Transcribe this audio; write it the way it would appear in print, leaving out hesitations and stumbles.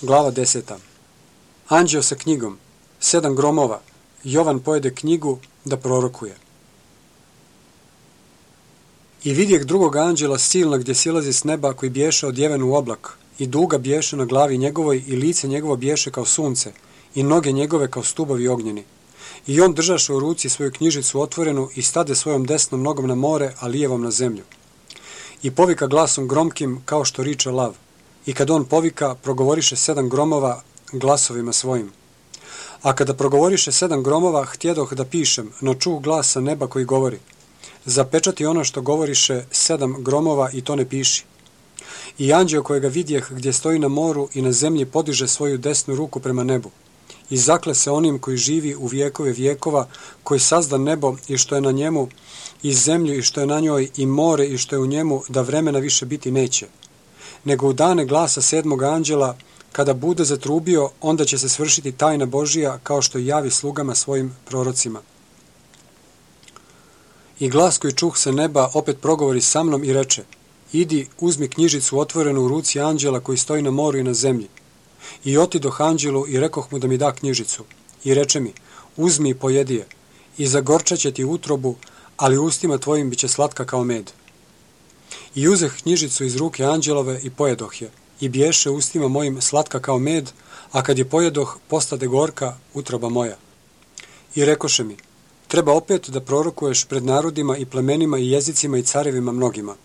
Glava 10. Anđeo sa knjigom, 7 gromova, Jovan pojede knjigu da prorokuje. I vidjeh drugog anđela silna gdje silazi s neba, koji biješe odjeven u oblak, i duga biješe na glavi njegovoj, i lice njegovo biješe kao sunce, i noge njegove kao stubovi ognjeni. I on držaše u ruci svoju knjižicu otvorenu i stade svojom desnom nogom na more, a lijevom na zemlju. I povika glasom gromkim kao što riče lav. I kad on povika, progovoriše 7 gromova glasovima svojim. A kada progovoriše 7 gromova, htjedoh da pišem, no čuh glas sa neba koji govori: zapečati ono što govoriše 7 gromova i to ne piši. I anđeo kojega vidjeh gdje stoji na moru i na zemlji podiže svoju desnu ruku prema nebu. I zakle se onim koji živi u vjekove vjekova, koji sazda nebo i što je na njemu, i zemlju i što je na njoj, i more i što je u njemu, da vremena više biti neće. Nego u dane glasa 7. anđela, kada bude zatrubio, onda će se svršiti tajna Božija, kao što javi slugama svojim prorocima. I glas koji čuh sa neba opet progovori sa mnom i reče: idi, uzmi knjižicu otvorenu u ruci anđela koji stoji na moru i na zemlji. I otidoh anđelu i rekoh mu da mi da knjižicu. I reče mi: uzmi i pojedi je, i zagorčat će ti utrobu, ali ustima tvojim bit će slatka kao med. I uzeh knjižicu iz ruke anđelove i pojedoh je, i biješe ustima mojim slatka kao med, a kad je pojedoh, postade gorka utroba moja. I rekoše mi: treba opet da prorokuješ pred narodima i plemenima i jezicima i carevima mnogima.